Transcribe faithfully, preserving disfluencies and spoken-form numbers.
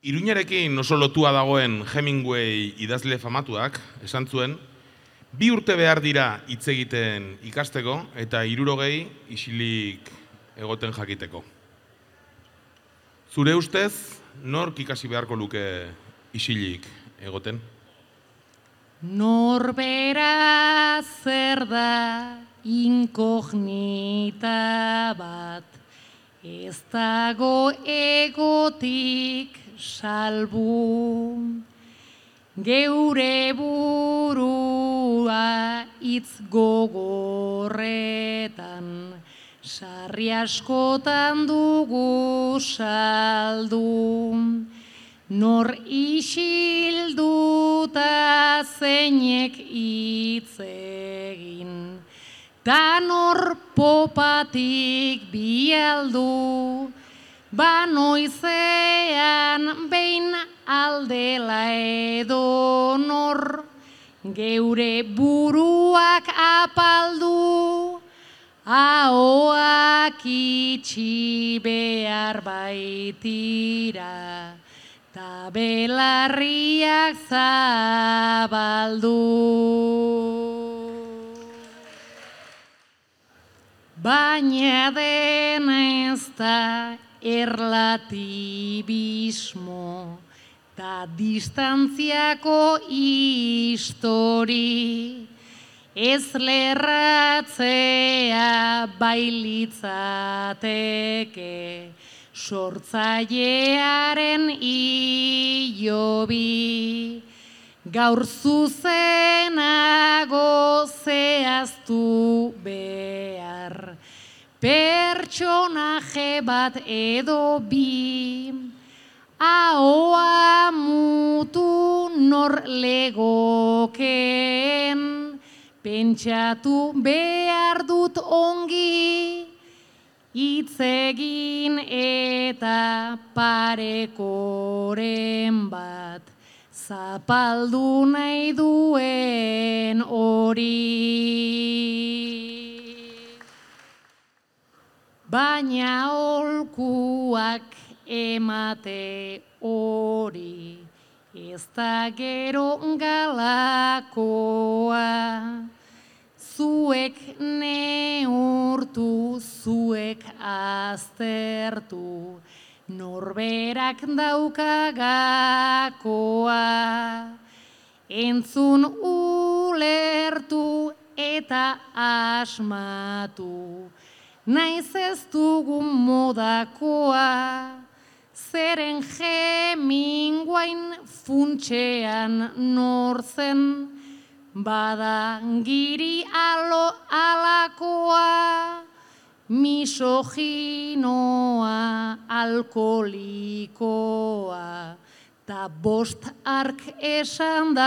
Iruñarekin oso lotua dagoen Hemingway idazle famatuak esan zuen, bi urte behar dira hitz egiten ikasteko eta hirurogei isilik egoten jakiteko. Zure ustez, nork ikasi beharko luke isilik egoten? Norbera zer da inkognita bat, ez dago egotik salbu. Geure burua hitz gogorretan, sarri askotan dugu saldu. Nor isilduta zeinek hitz egin, ta nor popatik bialdu, ba noizean behin aldela edo nor, geure buruak apaldu, ahoak itxi behar baitira, ta belarriak zabaldu. Baina dena ez da erlatibismo, ta distantziako histori, ez lerratzea bailitzateke, sortzailearen ilobi, gaur zuzenago zehaztu behar, pertsonaje bat edo bi, ahoa mutu nor legokeen, pentsatu behar dut ongi, hitz egin eta parekoren bat, zapaldu nahi duen hori. Baina aholkuak emate hori, ez da gero galakoa, zuek neurtu, zuek aztertu, norberak daukagakoa, entzun ulertu eta asmatu, naiz ez dugun modakoa, zeren Hemingwayn funtsean nortzen, bada giri alo alakoa, misoginoa, alkolikoa, ta bost ark esandakoa.